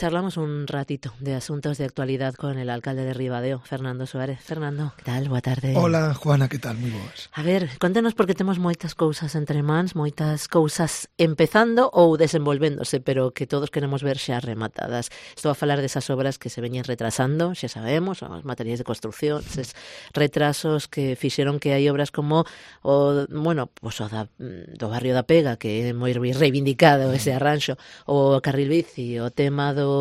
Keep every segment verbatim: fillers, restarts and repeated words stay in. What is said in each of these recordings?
charlamos un ratito de asuntos de actualidad con el alcalde de Ribadeo, Fernando Suárez. Fernando, que tal? Boa tarde. Hola, Juana, que tal? Moi boas. A ver, contenos porque temos moitas cousas entre mans, moitas cousas empezando ou desenvolvéndose, pero que todos queremos ver xa rematadas. Estou a falar desas obras que se veñen retrasando, xa sabemos, os materiais de construcción, eses retrasos que fixeron que hai obras como o, bueno, pues o da, do barrio da Pega, que é moi reivindicado ese arranxo, o carril bici, o tema do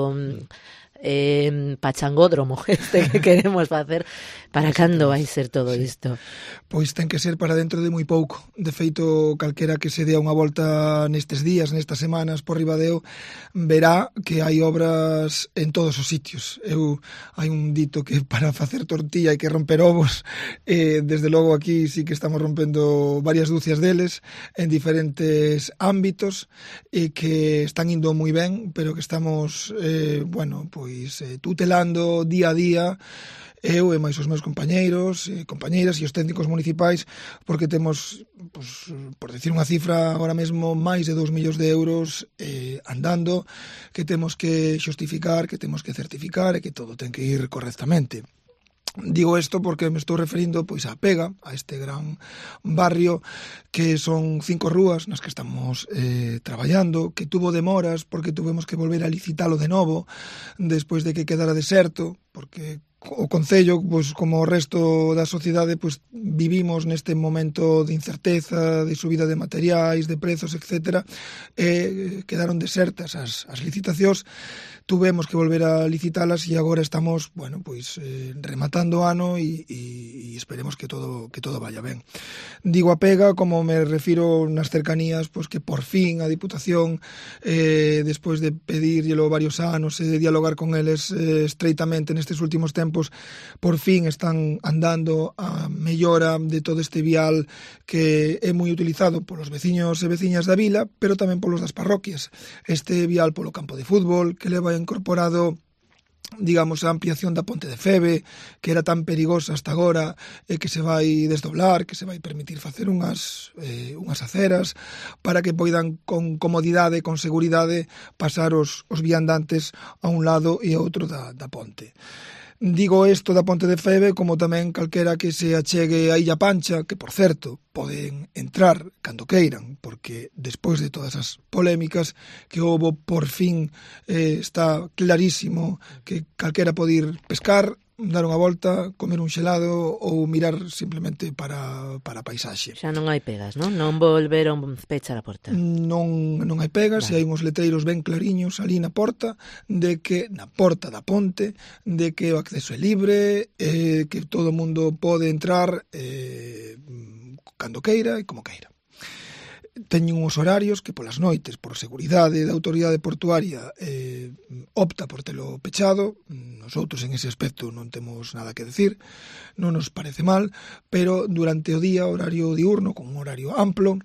eh, pachangódromo este que queremos facer. Para cando vai ser todo sí. isto? Pois ten que ser para dentro de moi pouco. De feito, calquera que se dea unha volta nestes días, nestas semanas por Ribadeo, verá que hai obras en todos os sitios. Eu hai un dito que para facer tortilla hai que romper ovos. Eh, desde logo aquí sí que estamos rompendo varias dúcias deles en diferentes ámbitos e que están indo moi ben, pero que estamos, eh, bueno, pois eh, tutelando día a día eu e máis os meus compañeiros e compañeiras e os técnicos municipais, porque temos, pues, por decir unha cifra, agora mesmo máis de dous millóns de euros eh, andando, que temos que xustificar, que temos que certificar e que todo ten que ir correctamente. Digo isto porque me estou referindo pois á Pega, a este gran barrio que son cinco rúas nas que estamos eh, traballando, que tuvo demoras porque tuvemos que volver a licitalo de novo despois de que quedara deserto, porque o Concello, pois, como o resto da sociedade, pois, vivimos neste momento de incerteza, de subida de materiais, de prezos, etcétera, e quedaron desertas as, as licitacións, tuvemos que volver a licitalas e agora estamos, bueno, pois, eh, rematando o ano e, e, e esperemos que todo, que todo vaya ben. Digo a Pega, como me refiro nas cercanías, pois que por fin a Diputación, eh, despois de pedírllelo varios anos e de dialogar con eles eh, estreitamente nestes últimos tempos, por fin están andando a mellora de todo este vial que é moi utilizado polos veciños e veciñas da vila, pero tamén polos das parroquias. Este vial polo campo de fútbol, que leva incorporado, digamos, a ampliación da ponte de Febe, que era tan perigosa hasta agora, e que se vai desdoblar, que se vai permitir facer unhas, eh, unhas aceras para que poidan con comodidade, con seguridade, pasar os, os viandantes a un lado e a outro da, da ponte. Digo isto da ponte de Febe como tamén calquera que se achegue a Illa Pancha, que, por certo, poden entrar cando queiran, porque despois de todas as polémicas que houbo, por fin eh, está clarísimo que calquera pode ir pescar, dar unha volta, comer un xelado ou mirar simplemente para, para a paisaxe. Xa non hai pegas, non? Non volveron pechar a porta. Non, non hai pegas, vale. E hai uns letreiros ben clariños ali na porta, de que, na porta da ponte, de que o acceso é libre, eh, que todo o mundo pode entrar eh, cando queira e como queira. Teñen uns horarios que polas noites, por seguridade da autoridade portuaria, eh, opta por telo pechado. Nosotros en ese aspecto non temos nada que decir, non nos parece mal, pero durante o día, horario diurno, con un horario amplo,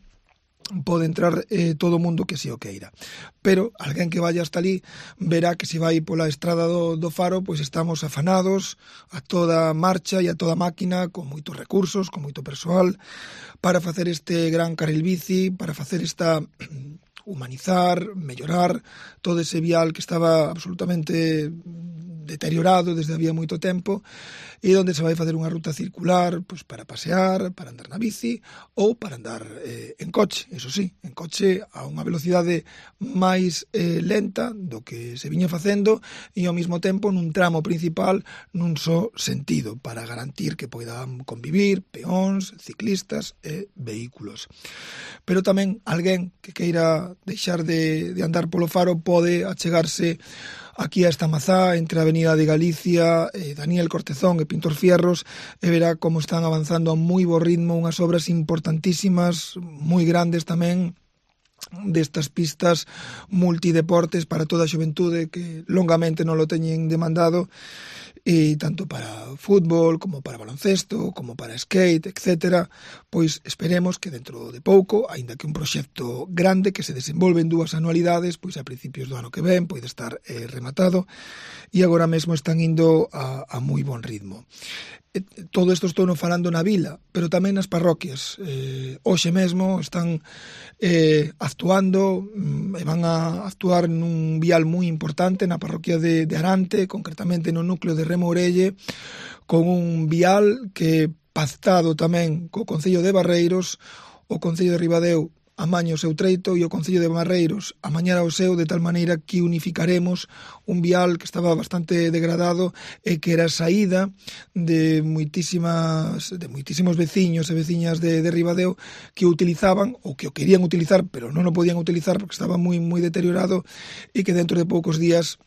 pode entrar eh, todo o mundo que se o queira. Pero alguén que vaya hasta ali verá que se vai pola estrada do, do Faro, pois estamos afanados a toda marcha e a toda máquina, con moitos recursos, con moito persoal, para facer este gran carril bici, para facer esta humanizar, mellorar todo ese vial que estaba absolutamente deteriorado desde había moito tempo, e onde se vai facer unha ruta circular, pois, para pasear, para andar na bici ou para andar eh, en coche, eso sí, en coche a unha velocidade máis eh, lenta do que se viña facendo e ao mesmo tempo nun tramo principal nun só sentido, para garantir que poidan convivir peóns, ciclistas e vehículos. Pero tamén alguén que queira deixar de, de andar polo Faro pode achegarse aquí a esta mazá entre a Avenida de Galicia, eh, Daniel Cortezón e Pintor Fierros, e verá como están avanzando a moi bo ritmo unhas obras importantísimas, moi grandes tamén, destas pistas multideportes para toda a xuventude que longamente non lo teñen demandado e tanto para fútbol, como para baloncesto, como para skate, etcétera, pois esperemos que dentro de pouco, aínda que un proxecto grande que se desenvolve en dúas anualidades, pois a principios do ano que ven pode estar eh, rematado, e agora mesmo están indo a, a moi bon ritmo. Todo isto estou non falando na vila, pero tamén nas parroquias. Eh, hoxe mesmo están eh, actuando e van a actuar nun vial moi importante na parroquia de, de Arante, concretamente no núcleo de Remorelle, con un vial que pactado tamén co Concello de Barreiros, o Concello de Ribadeo amaña o seu treito e o Concello de Barreiros amañará o seu, de tal maneira que unificaremos un vial que estaba bastante degradado e que era a saída de moitísimas de moitísimos veciños e veciñas de, de Ribadeo que o utilizaban ou que o querían utilizar pero non o podían utilizar porque estaba moi moi deteriorado e que dentro de poucos días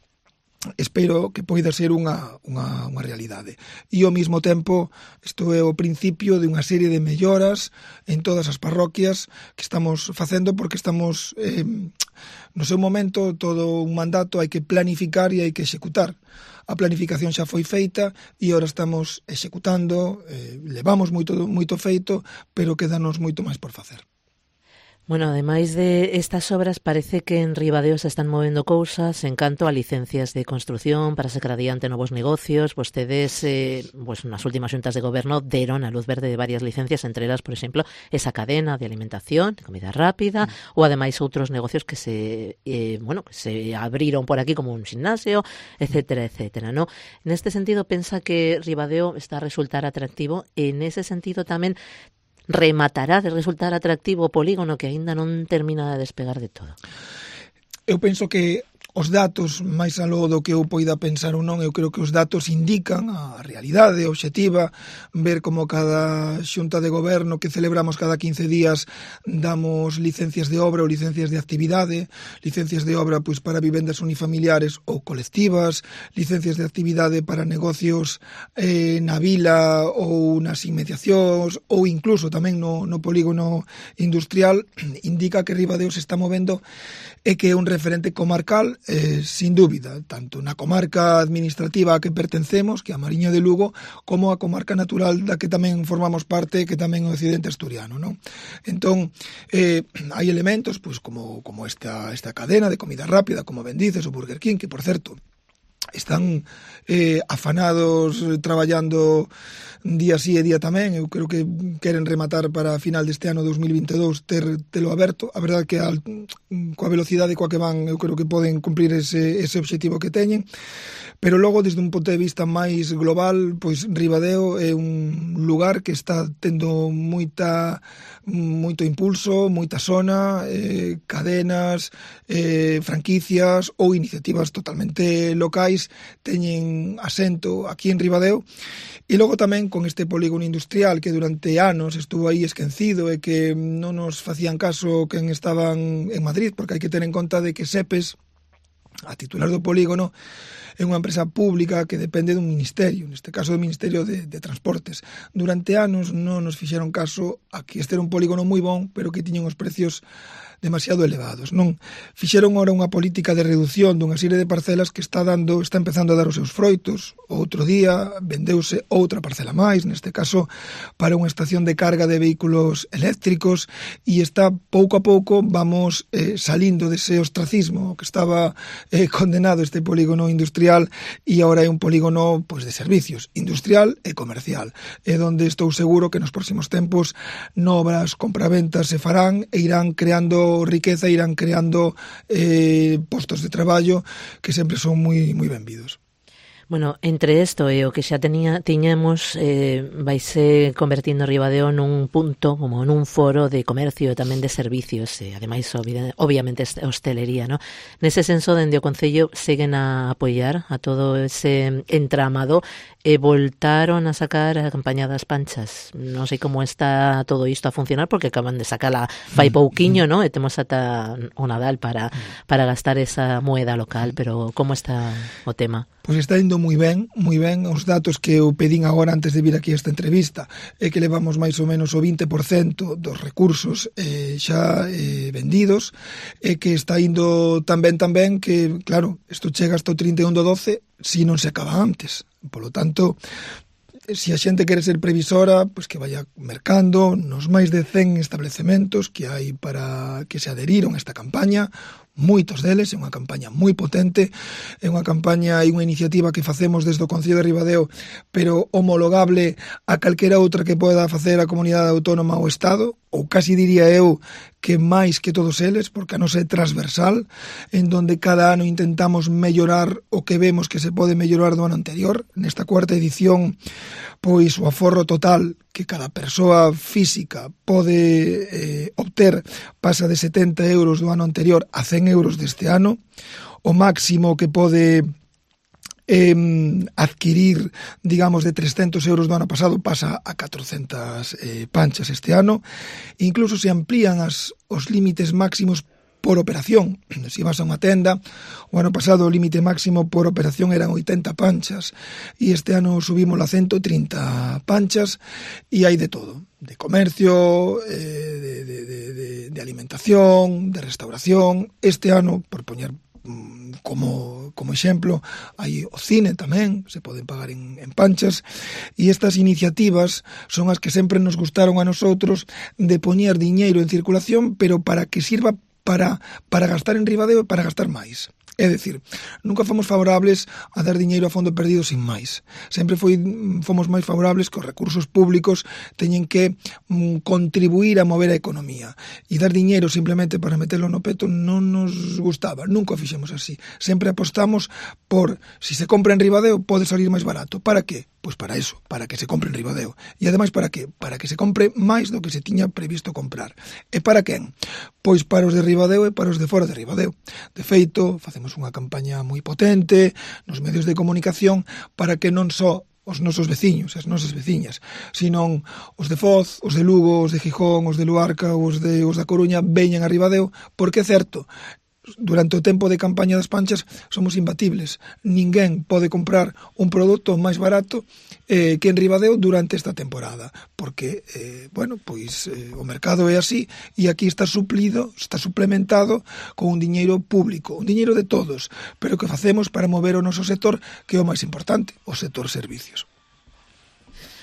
espero que poida ser unha, unha, unha realidade. E ao mesmo tempo, isto é o principio de unha serie de melloras en todas as parroquias que estamos facendo porque estamos, eh, no seu momento, todo un mandato hai que planificar e hai que executar. A planificación xa foi feita e agora estamos executando, eh, levamos moito, moito feito, pero quedanos moito máis por facer. Bueno, ademais de estas obras, parece que en Ribadeo se están movendo cousas en canto a licencias de construción para sacar adiante novos negocios. Vostedes, eh, pues, nas últimas xuntas de goberno deron a luz verde de varias licencias, entre elas, por exemplo, esa cadena de alimentación, de comida rápida, mm. ou ademais outros negocios que se, eh, bueno, que se abriron por aquí como un gimnasio, etcétera, etcétera, ¿no? En este sentido, pensa que Ribadeo está a resultar atractivo, e en ese sentido tamén rematará de resultar atractivo o polígono que aínda non termina de despegar de todo? Eu penso que os datos, máis aló do que eu poida pensar ou non, eu creo que os datos indican a realidade obxectiva, ver como cada xunta de goberno que celebramos cada quince días damos licencias de obra ou licencias de actividade, licencias de obra pois para vivendas unifamiliares ou colectivas, licencias de actividade para negocios eh, na vila ou nas inmediacións ou incluso tamén no, no polígono industrial, indica que Ribadeo se está movendo e que é un referente comarcal, eh, sin dúbida, tanto na comarca administrativa a que pertencemos, que é a Mariña de Lugo, como a comarca natural da que tamén formamos parte, que tamén é o occidente asturiano, non? Entón, eh, hai elementos, pois, como, como esta, esta cadena de comida rápida, como ben dices, o Burger King, que, por certo, están eh, afanados traballando día sí e día tamén. Eu creo que queren rematar para a final deste ano dos mil vinte e dous ter telo aberto. A verdade que a, coa velocidade coa que van eu creo que poden cumplir ese, ese obxectivo que teñen, pero logo desde un punto de vista máis global, pois Ribadeo é un lugar que está tendo moita moito impulso, moita zona, eh, cadenas, eh, franquicias ou iniciativas totalmente locais teñen asento aquí en Ribadeo. E logo tamén con este polígono industrial que durante anos estuvo aí esquecido e que non nos facían caso quen estaban en Madrid, porque hai que ter en conta de que Sepes, a titular do polígono, é unha empresa pública que depende dun ministerio, neste caso do Ministerio de, de Transportes. Durante anos non nos fixeron caso a que este era un polígono moi bon, pero que tiñen os precios demasiado elevados. Non fixeron ora unha política de reducción dunha serie de parcelas que está dando, está empezando a dar os seus froitos. Outro día vendeuse outra parcela máis, neste caso para unha estación de carga de vehículos eléctricos, e está pouco a pouco vamos eh, salindo dese ostracismo que estaba eh, condenado este polígono industrial, e agora é un polígono pois de servicios, industrial e comercial, é onde estou seguro que nos próximos tempos novas compraventas se farán e irán creando riqueza, irán creando eh, postos de traballo que sempre son moi moi benvidos. Bueno, entre isto e o que xa tenía, tiñamos, eh, vaise convertindo Ribadeo nun punto, como nun foro de comercio e tamén de servicios, e ademais, obviamente, hostelería, ¿no? Nese senso, dende o Concello, seguen a apoiar a todo ese entramado e voltaron a sacar a campaña das panchas. Non sei como está todo isto a funcionar, porque acaban de sacala fai pouquiño, ¿no? E temos ata o Nadal para, para gastar esa moeda local, pero como está o tema? Pois está indo moi ben, moi ben. Os datos que eu pedín agora antes de vir aquí a esta entrevista é que levamos máis ou menos o vinte por cento dos recursos eh, xa eh, vendidos, e que está indo tan ben tan ben que, claro, isto chega hasta o trinta e un do doce si non se acaba antes. Polo tanto, se a xente quere ser previsora, pois que vaya mercando nos máis de cen establecementos que hai para que se adheriron a esta campaña. Moitos deles, é unha campaña moi potente, é unha campaña e unha iniciativa que facemos desde o Concello de Ribadeo, pero homologable a calquera outra que poda facer a comunidade autónoma ou Estado, ou casi diría eu que máis que todos eles, porque a nosa é transversal, en donde cada ano intentamos mellorar o que vemos que se pode mellorar do ano anterior. Nesta cuarta edición, pois o aforro total que cada persoa física pode eh, obter pasa de setenta euros do ano anterior a cen euros deste ano. O máximo que pode eh, adquirir, digamos, de trescentos euros do ano pasado pasa a catrocentas eh, panchas este ano. Incluso se amplían as, os límites máximos por operación. Se vas a unha tenda, o ano pasado o límite máximo por operación eran oitenta panchas e este ano subimos a ciento trinta panchas, e hai de todo, de comercio, eh, de, de, de, de, de alimentación, de restauración. Este ano, por poñer como, como exemplo, hai o cine tamén, se poden pagar en, en panchas, e estas iniciativas son as que sempre nos gustaron a nosotros, de poñer diñeiro en circulación, pero para que sirva para, para gastar en Ribadeo e para gastar máis. É dicir, nunca fomos favorables a dar diñeiro a fondo perdido sin máis. Sempre foi, fomos máis favorables que os recursos públicos teñen que mm, contribuir a mover a economía. E dar diñeiro simplemente para meterlo no peto non nos gustaba, nunca o fixemos así. Sempre apostamos por, si se compra en Ribadeo, pode salir máis barato. Para que? Pois para eso, para que se compre en Ribadeo. E ademais, para que? Para que se compre máis do que se tiña previsto comprar. E para quen? Pois para os de Ribadeo e para os de fora de Ribadeo. De feito, facemos unha campaña moi potente nos medios de comunicación para que non só os nosos veciños, as nosas veciñas, sino os de Foz, os de Lugo, os de Gijón, os de Luarca, os de os da Coruña veñan a Ribadeo, porque é certo, durante o tempo de campaña das panchas somos imbatibles. Ninguén pode comprar un produto máis barato eh, que en Ribadeo durante esta temporada, porque, eh, bueno, pois eh, o mercado é así, e aquí está suplido, está suplementado con un diñeiro público, un diñeiro de todos, pero que facemos para mover o noso sector, que é o máis importante, o sector servicios.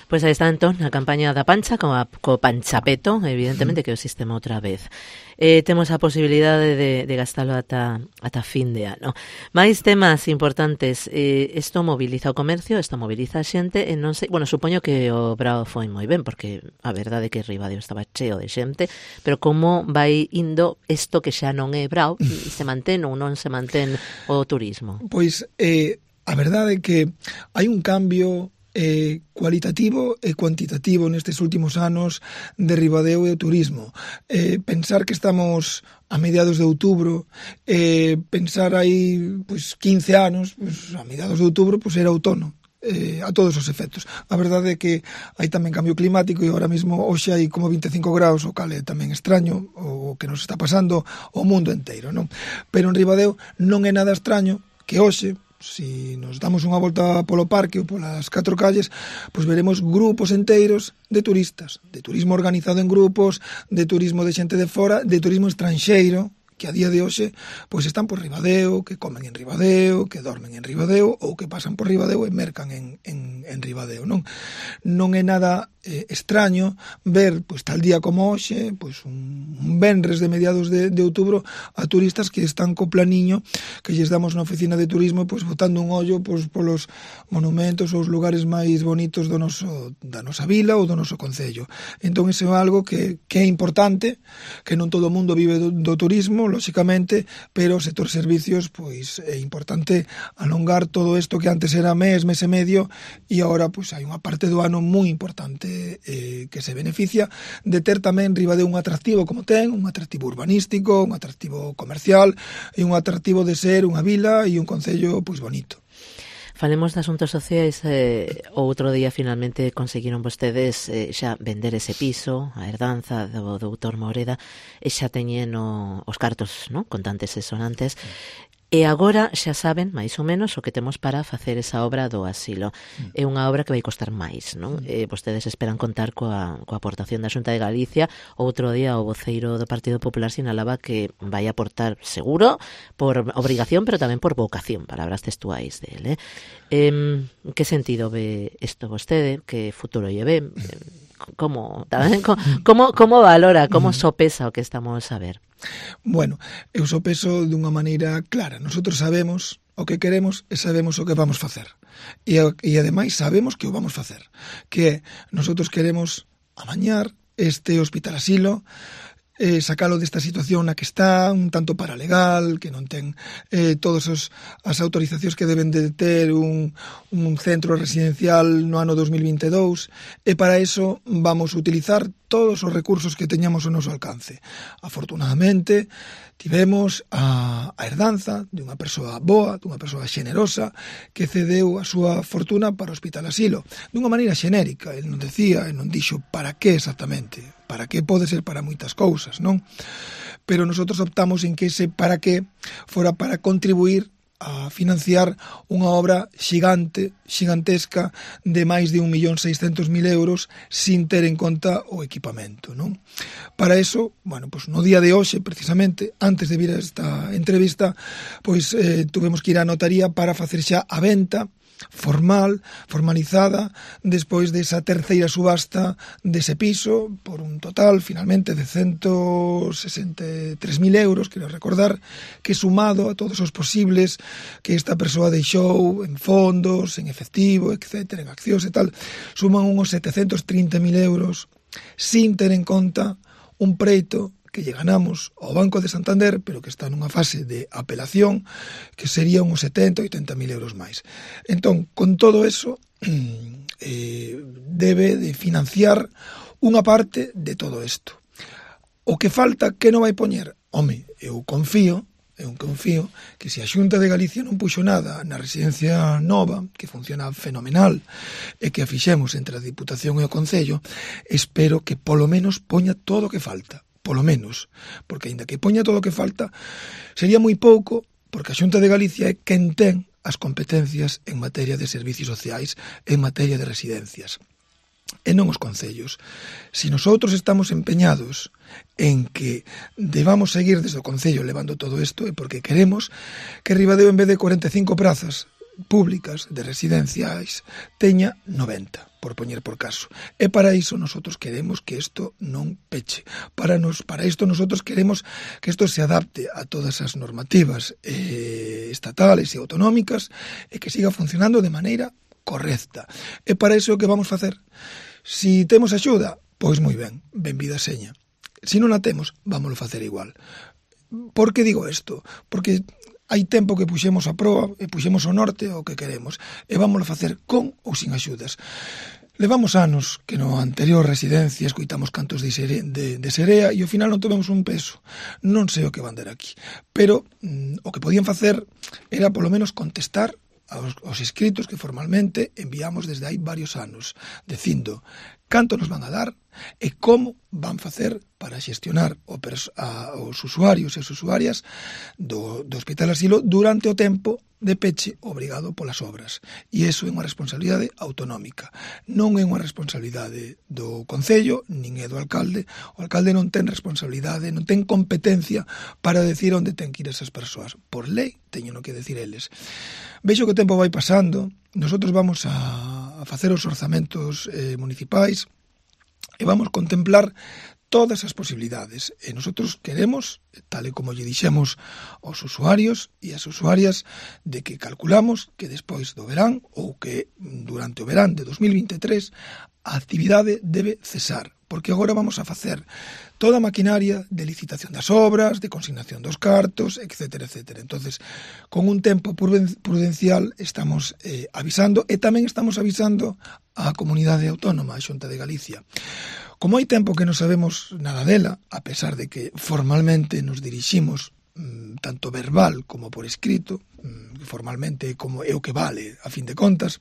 Pois aí está entón a campaña da pancha co, co panchapeto, evidentemente que o sistema outra vez. Eh, temos a posibilidade de, de gastalo ata, ata fin de ano. Mais temas importantes, eh, isto moviliza o comercio, isto moviliza a xente, e non sei, bueno, supoño que o Brao foi moi ben, porque a verdade é que Ribadeo estaba cheo de xente, pero como vai indo isto que xa non é Brao, se mantén ou non se mantén o turismo? Pois, eh, a verdade é que hai un cambio eh, cualitativo e cuantitativo nestes últimos anos de Ribadeo e o turismo. Eh, pensar que estamos a mediados de outubro, eh, pensar aí pois, quince anos, pois, a mediados de outubro pois, era outono. Eh, a todos os efectos. A verdade é que hai tamén cambio climático e ahora mesmo hoxe hai como vinte e cinco graus, o cal é tamén extraño o que nos está pasando o mundo inteiro, non? Pero en Ribadeo non é nada extraño que hoxe, si nos damos unha volta polo parque ou polas catro calles, pois veremos grupos enteiros de turistas, de turismo organizado en grupos, de turismo de xente de fora, de turismo estranxeiro, que a día de hoxe pois están por Ribadeo, que comen en Ribadeo, que dormen en Ribadeo ou que pasan por Ribadeo e mercan en, en, en Ribadeo, non? Non é nada eh, extraño ver, pois tal día como hoxe, pois un, un venres de mediados de, de outubro a turistas que están co planiño que lles damos na oficina de turismo, pois botando un ollo pois polos monumentos ou os lugares máis bonitos do noso, da nosa vila ou do noso concello. Entón, iso é algo que, que é importante, que non todo o mundo vive do, do turismo, lóxicamente, pero o sector servicios pois é importante alongar todo isto que antes era mes, mes e medio, e agora pois hai unha parte do ano moi importante eh, que se beneficia de ter tamén Ribadeo un atractivo como ten, un atractivo urbanístico, un atractivo comercial e un atractivo de ser unha vila e un concello pois bonito. Falemos de asuntos sociais. Eh, outro día finalmente conseguiron vostedes eh, xa vender ese piso, a herdanza do doutor Moreda, e xa teñen o, os cartos, ¿no?, contantes e sonantes. E agora xa saben, máis ou menos, o que temos para facer esa obra do asilo. Mm. É unha obra que vai costar máis, non? Mm. Eh, vostedes esperan contar coa, coa aportación da Xunta de Galicia. Outro día o voceiro do Partido Popular sinalaba que vai aportar seguro por obrigación, pero tamén por vocación, palabras textuais dele. Eh, en que sentido ve isto vostede? Que futuro lle ve? Como, tamén, como, como valora, como sopesa o que estamos a ver? Bueno, eu sopeso dunha maneira clara. Nosotros sabemos o que queremos e sabemos o que vamos facer. E, e ademais sabemos que o vamos facer. Que nosotros queremos amañar este hospital asilo, eh, sacalo desta situación na que está, un tanto paralegal, que non ten eh, todas os, as autorizacións que deben de ter un, un centro residencial no ano dos mil vinte e dous, e para eso vamos a utilizar todos os recursos que teñamos ao noso alcance. Afortunadamente, tivemos a, a herdanza de unha persoa boa, dunha persoa xenerosa, que cedeu a súa fortuna para o Hospital Asilo, dunha maneira xenérica. El non decía, el non dixo para que exactamente, para que pode ser para moitas cousas, non? Pero nosotros optamos en que ese para que fora para contribuir a financiar unha obra xigante, xigantesca de máis de un millón seiscentos mil euros sin ter en conta o equipamento, non? Para eso, bueno, pues no día de hoxe, precisamente, antes de vir a esta entrevista, pois eh, tuvemos que ir á notaría para facer xa a venta formal, formalizada, despois desa terceira subasta dese piso, por un total, finalmente, de ciento sesenta e tres mil euros, quero recordar, que sumado a todos os posibles que esta persoa deixou en fondos, en efectivo, etcétera, en accións e tal, suman unhos setecentos trinta mil euros, sin ter en conta un preito que lle ganamos ao Banco de Santander, pero que está nunha fase de apelación, que sería uns setenta, oitenta mil euros máis. Entón, con todo eso, eh, debe de financiar unha parte de todo isto. O que falta, que non vai poñer? Home, eu confío, eu confío que se a Xunta de Galicia non puxo nada na residencia nova, que funciona fenomenal, e que a fixemos entre a Diputación e o Concello, espero que polo menos poña todo o que falta. Polo menos, porque aínda que poña todo o que falta, sería moi pouco, porque a Xunta de Galicia é quen ten as competencias en materia de servicios sociais, en materia de residencias, e non os concellos. Se nosotros estamos empeñados en que debamos seguir desde o Concello levando todo isto, é porque queremos que Ribadeo, en vez de cuarenta e cinco prazas públicas de residenciais, teña noventa, por poñer por caso. E para iso nosotros queremos que isto non peche. Para nos, para isto nosotros queremos que isto se adapte a todas as normativas eh, estatales e autonómicas e que siga funcionando de maneira correcta. E para iso o que vamos facer? Si temos axuda, pois moi ben, benvida seña. Si non a temos, vámoslo facer igual. Por que digo isto? Porque hai tempo que puxemos a proa e puxemos o norte o que queremos e vámoslo facer con ou sin axudas. Levamos anos que no anterior residencia escoitamos cantos de, sere, de, de serea e ao final non tovemos un peso. Non sei o que van dar aquí, pero mm, o que podían facer era polo menos contestar aos, aos escritos que formalmente enviamos desde hai varios anos, dicindo canto nos van a dar e como van facer para xestionar o pers- a, os usuarios e as usuarias do, do Hospital Asilo durante o tempo de peche obrigado polas obras. E iso é unha responsabilidade autonómica. Non é unha responsabilidade do Concello, nin é do alcalde. O alcalde non ten responsabilidade, non ten competencia para decir onde ten que ir esas persoas. Por lei, teño no que decir eles. Vexo que o tempo vai pasando, nosotros vamos a, a facer os orzamentos eh, municipais e vamos contemplar todas as posibilidades. E nosotros queremos, tal e como lle dixemos aos usuarios e as usuarias, de que calculamos que despois do verán ou que durante o verán de dos mil vinte e tres a actividade debe cesar, porque agora vamos a facer toda a maquinaria de licitación das obras, de consignación dos cartos, etcétera, etcétera. Entonces, con un tempo prudencial estamos eh, avisando e tamén estamos avisando á comunidade autónoma, a Xunta de Galicia. Como hai tempo que non sabemos nada dela, a pesar de que formalmente nos diriximos mmm, tanto verbal como por escrito, mmm, formalmente como é o que vale, a fin de contas,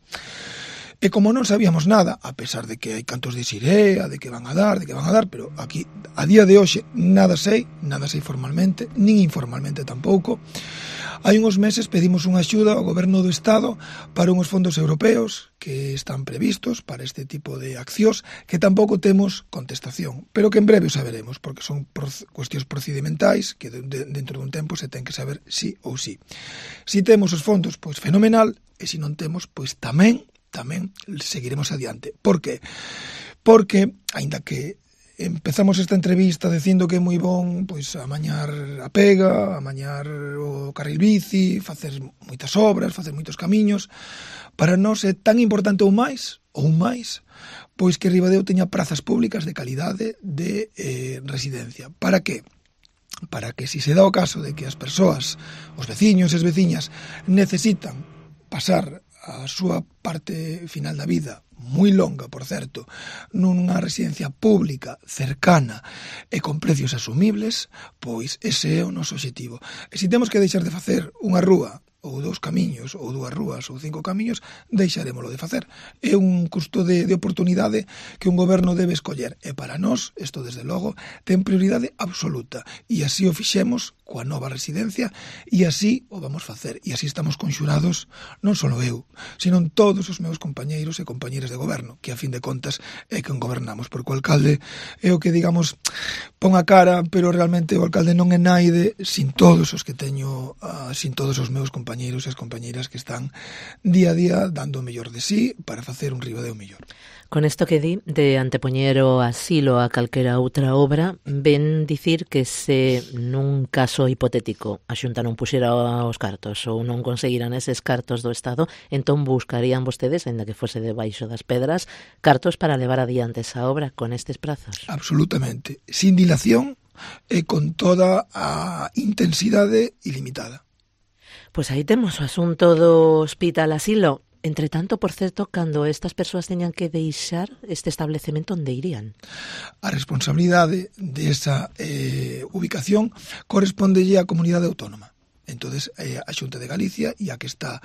e como non sabíamos nada, a pesar de que hai cantos de Sirea, de que van a dar, de que van a dar, pero aquí, a día de hoxe, nada sei, nada sei formalmente, nin informalmente tampouco, Hai uns meses pedimos unha axuda ao Goberno do Estado para unhos fondos europeos que están previstos para este tipo de accións que tampouco temos contestación, pero que en breve o saberemos, porque son cuestións procedimentais que de, de, dentro dun tempo se ten que saber sí ou sí. Si temos os fondos, pois fenomenal, e se non temos, pois tamén, tamén seguiremos adiante. Por que? Porque, aínda que empezamos esta entrevista dicindo que é moi bon pois amañar a pega, amañar o carril bici, facer moitas obras, facer moitos camiños, para nós é tan importante ou máis, ou máis, pois que Ribadeo teña prazas públicas de calidade de eh, residencia. Para que? Para que si se dá o caso de que as persoas, os veciños e as veciñas necesitan pasar a súa parte final da vida, moi longa, por certo, nunha residencia pública, cercana e con precios asumibles, pois ese é o noso obxectivo. E se temos que deixar de facer unha rúa, ou dous camiños, ou dúas rúas, ou cinco camiños, deixarémolo de facer. É un custo de, de oportunidade que un goberno debe escoller. E para nós, isto desde logo, ten prioridade absoluta. E así o fixemos coa nova residencia, e así o vamos facer. E así estamos conxurados, non só eu, sino todos os meus compañeiros e compañeiras de goberno, que a fin de contas é quen gobernamos, porque o alcalde é o que, digamos, pon a cara, pero realmente o alcalde non é naide sin todos os que teño, uh, sin todos os meus compañeiros compañeiros e as compañeiras que están día a día dando o mellor de sí para facer un Ribadeo mellor. Con isto que di de antepoñer o asilo a calquera outra obra, ven dicir que se nun caso hipotético a Xunta non puxera os cartos ou non conseguiran eses cartos do Estado, entón buscarían vostedes, ainda que fose debaixo das pedras, cartos para levar adiante esa obra con estes prazos? Absolutamente, sin dilación e con toda a intensidade ilimitada. Pois aí temos o asunto do hospital asilo. Entre tanto, por certo, cando estas persoas teñan que deixar este establecemento, onde irían? A responsabilidade desa eh, ubicación correspondelle á comunidade autónoma. Entonces, eh, a Xunta de Galicia, e a que está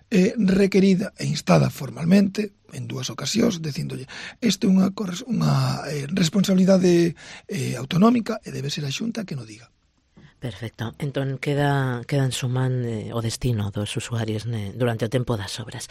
eh, requerida e instada formalmente en dúas ocasións, dicíndolle isto é unha, unha eh, responsabilidade eh, autonómica e debe ser a Xunta que non diga. Perfecto. Entón queda, queda en suman eh, o destino dos usuarios ne, durante o tempo das obras.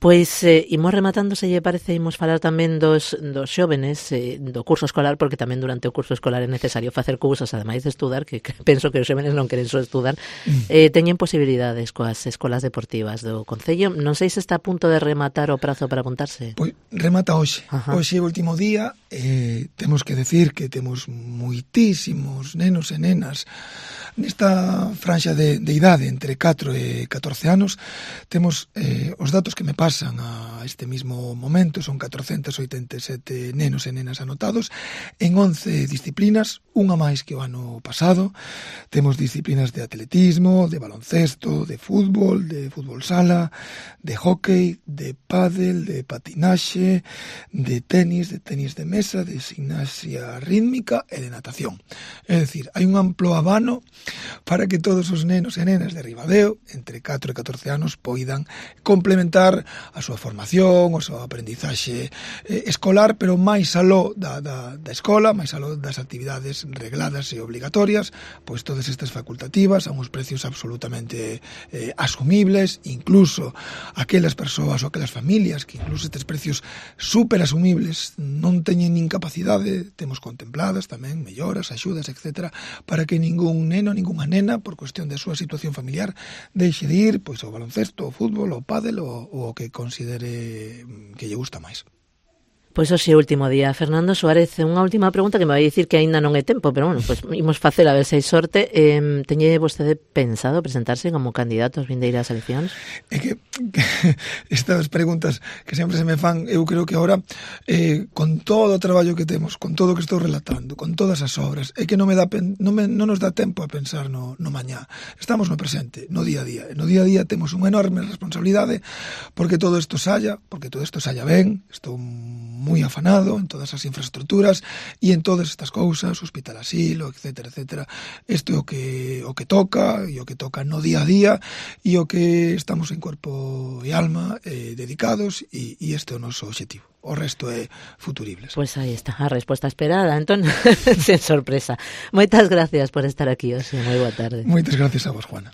Pois eh, imos rematando, se lle parece, imos falar tamén dos, dos xóvenes eh, do curso escolar, porque tamén durante o curso escolar é necesario facer cousas, ademais de estudar, que, que penso que os xóvenes non queren só estudar, eh, teñen posibilidades coas escolas deportivas do Concello. Non sei se está a punto de rematar o prazo para apuntarse. Pois remata hoxe. Ajá. Hoxe é o último día. Eh, temos que decir que temos moitísimos nenos e nenas nesta franxa de, de idade entre catro e catorce anos. Temos eh, os datos que me pasan a este mismo momento, son catrocentos oitenta e sete nenos e nenas anotados en once disciplinas, unha máis que o ano pasado. Temos disciplinas de atletismo, de baloncesto, de fútbol, de fútbol sala, de hóquei, de pádel, de patinaxe, de tenis, de tenis de mesa, de gimnasia rítmica e de natación. É dicir, hai un amplo abano para que todos os nenos e nenas de Ribadeo, entre catro e catorce anos, poidan complementar a súa formación, a súa aprendizaxe eh, escolar, pero máis aló da, da, da escola, máis aló das actividades regladas e obligatorias, pois todas estas facultativas a uns precios absolutamente eh, asumibles, incluso aquelas persoas ou aquelas familias que incluso estes precios super asumibles non teñen nin capacidade, temos contempladas tamén melloras, axudas, etcétera, para que ningún neno, ningunha nena, por cuestión da súa situación familiar, deixe de ir pois ao baloncesto, ao fútbol, ao pádel ou o que considere que lle gusta máis. Pois hoxe é o último día. Fernando Suárez, unha última pregunta que me vai dicir que aínda non é tempo, pero bueno, pois imos facer a ver se hai sorte. Eh, teñe vostede pensado presentarse como candidato ás vindeiras eleccións? É que, que estas preguntas que sempre se me fan, eu creo que agora eh, con todo o traballo que temos, con todo o que estou relatando, con todas as obras, é que non me dá non, me, non nos dá tempo a pensar no, no mañá. Estamos no presente, no día a día. No día a día temos unha enorme responsabilidade porque todo isto saia, porque todo isto saia ben. Estou moi afanado en todas as infraestructuras e en todas estas cousas, hospital asilo, etcétera, etcétera. Isto é o que o que toca e o que toca no día a día e o que estamos en corpo e alma eh, dedicados e, e este é o noso obxectivo. O resto é futuribles. Pois pues aí está a resposta esperada, entón, sen sorpresa. Moitas gracias por estar aquí hoxe. Moi boa tarde. Moitas gracias a vos, Juana.